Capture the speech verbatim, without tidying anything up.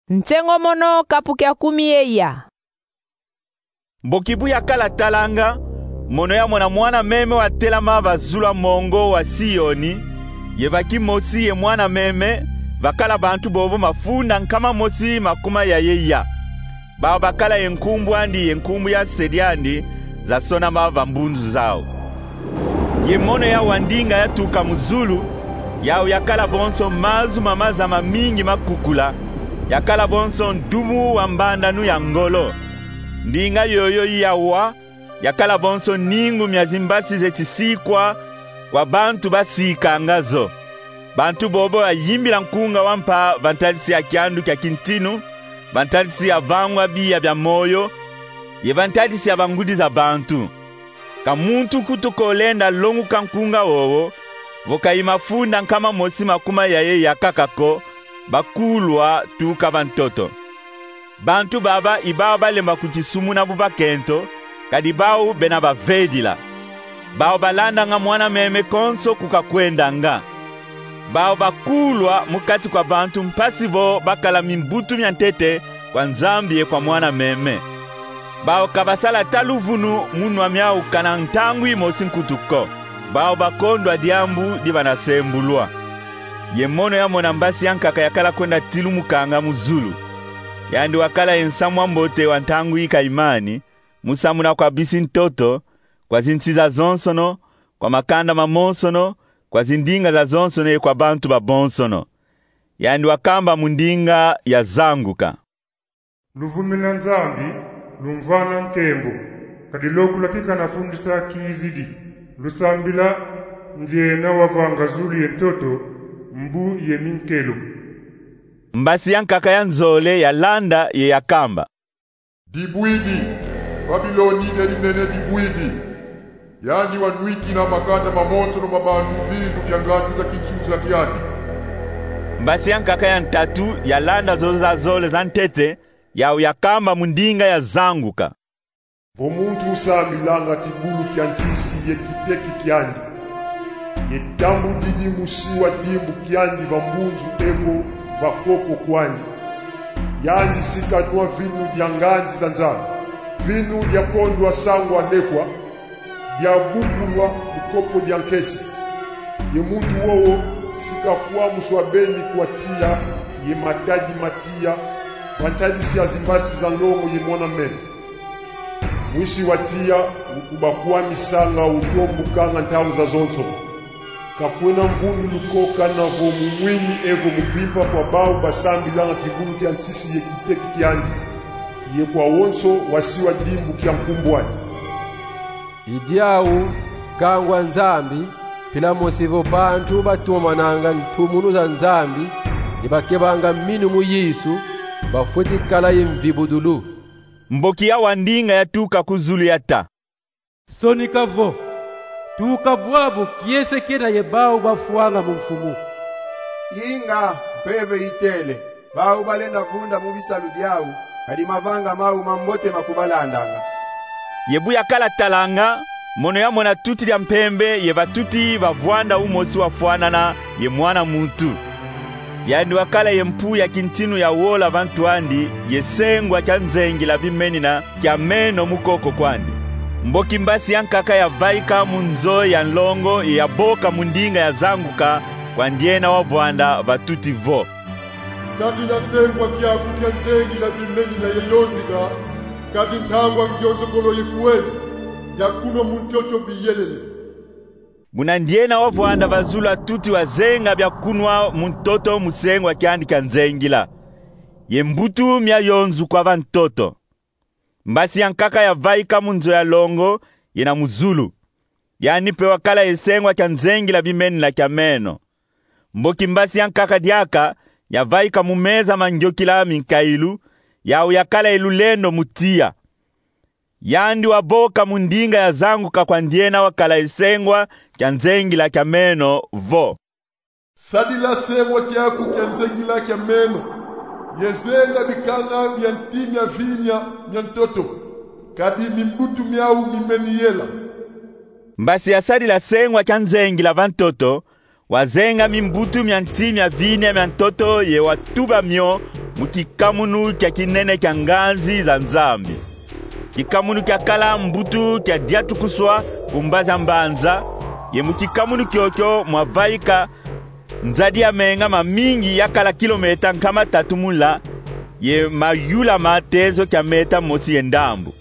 Nsengo mono kapu kia kumi ye ya. Mboki bu yakala talanga, mono yamona mwana meme watelama va zulu a mongo wa Sioni, ye va kimosi ye mwana meme, vakala bantu bobo mafunda nkama mosi makuma ya ye ya. Bau bakala ye nkumbu andi ye nkumbu ya se diandi zasonama va mbunzu zau. Ye mono ya wa ndinga yatuka mu zulu, yau yakala bonso mazu ma maza mamingi makukula, yakala bonso ndumu wa mbandanu ya ngolo. Ndinga yoyo yawa yakala bonso ningu mia zimbasi ze tisikwa kwa bantu basikanga zo. Bantu bobo bayimbila nkunga wa mpa va ntadisi ya kiandu kia kintinu, va ntadisi ya vangwa biya bia moyo, ye va ntadisi ya bangudi za bantu. Ka muntu nkutu ko lenda longuka nkunga wowo, vo ka i mafunda nkama mosi makuma ya ye ya kaka ko, bakulwa tuka va ntoto. Bantu baba i bau balemba kutisumuna bu bakento, kadi bau bena bavedila. Bau balandanga mwana meme konso ku kakwendanga. Bau bakulwa mu kati kwa bantu mpasi vo bakala mimbutu mia ntete kwa Nzambi ye kwa mwana meme. Bau ka basala ta luvunu mu nwa miau kana ntangu imosi nkutu ko. Bau bakondwa diambu di bana sembulwa. Ye mono yamona mbasi ya nkaka yakala kwenda tilumukanga mu zulu. Yandi wakala ye nsamu wa mbote wa ntangu ikayimani, mu samuna kwa bisi ntoto, kwa zinsi zazonsono, kwa makanda mamonsono, kwa zindinga zazonsono ye kwa bantu babonsono. Yandi wakamba mu ndinga ya zanguka: Luvumina Nzambi, lumvana nkembo, kadi lokula kika nafundisa kizidi. Lusambila ndiena wavanga zulu ye ntoto, mbu ye minkelo. Mbasi ya nkaka ya nzole yalanda ye yakamba: Dibwidi! Babiloni dia dinene dibwidi! Yandi wanwikina makanda mamonsono ma bantu vinu dia nganzi za kinsusa kiandi. Mbasi ya nkaka ya ntatu yalanda zozo zazole za ntete, yau yakamba mu ndinga ya zanguka: Vo muntu usambilanga kibulu kia nsisi ye kiteki kiandi, ye tambudidi mu siwa dimbu kiandi va mbunzu evo va koko kwandi, yandi si kanwa vinu dia nganzi za Nzambi, vinu dia kondwa sangwa lekwa, dia bukulwa mu kopo dia nkesi. Ye muntu wowo si kakwamuswa beni kwa tiya ye matadi ma tiya, va ntadisi ya zimbasi za nlongo ye mwana meme. Mwisi wa tiya ukubakwamisanga, utombukanga ntau zazonso. Ka kwena mvundulu ko kana vo mu mwini evo mu mpimpa kwa bau basambilanga kibulu kia nsisi ye kiteki kiandi, ye kwa wonso wa siwa dimbu kia nkumbu andi. I diau, kangwa Nzambi, mpila mosi vo bantu batumamananga ntumunu za Nzambi, ye bakebanga minu mu Yesu, bafweti kala ye mvibudulu. Mboki ya wa ndinga yatuka ku zulu yata: Sonika vo, tuka bwabu kiese kena ye bau bafwanga mu Mfumu. Inga, mpeve itele, bau balenda vunda mu bisalu biau, kadi mavanga mau mambote makubalandanga. Ye bu yakala talanga, mono yamona tuti dia mpembe ye va tuti va vwanda umosi wafwanana ye mwana muntu. Yandi wakala ye mpu ya kintinu ya wola va ntu andi, ye sengwa kia nzengila bimenina kia meno mu koko kwandi. Mboki mbasi ya nkaka yavaika mu nzo ya nlongo ye yaboka mu ndinga ya zanguka kwa ndiena wavwanda va tuti vo: Sadila sengwa kiaku kia nzengila bimenina ye yonzika, kadi ntangwa ngionzokolo ifwene, bia kunwa mu ntoto biyelele. Buna ndiena wavwanda va zulu a tuti wazenga bia kunwa mu ntoto mu sengwa kiandi kia nzengila, ye mbutu mia yonzukwa va ntoto. Mbasi ya nkaka yavaika mu nzo ya longo yena mu zulu. Yandi mpe wakala ye sengwa kia nzengila bimenina kia meno. Mboki mbasi ya nkaka diaka yavaika mu meza ma ngiokila minkailu, yau yakala ye lulendo mu tiya. Yandi waboka mu ndinga ya zanguka kwa ndiena wakala ye sengwa kia nzengila kia meno vo: Sadila sengwa kiaku kia nzengila kia meno, ye zenga bikanga bia nti mia vinya mia ntoto, kadi mimbutu miau mimeni yela. Mbasi yasadila sengwa kia nzengila va ntoto, Wazenga mimbutu mia nti mia vinia mia ntoto ye watuba mio mu kikamunu kia kinene kia nganzi za Nzambi. Kikamunu kiakala mbutu kia diatukuswa ku mbazi a mbanza, ye mu kikamunu kiokio mwavaika nzadi ya menga mamingi yakala kilometa nkama tatu mu nla, ye mayula ma tezo kia meta mosi ye ndambu.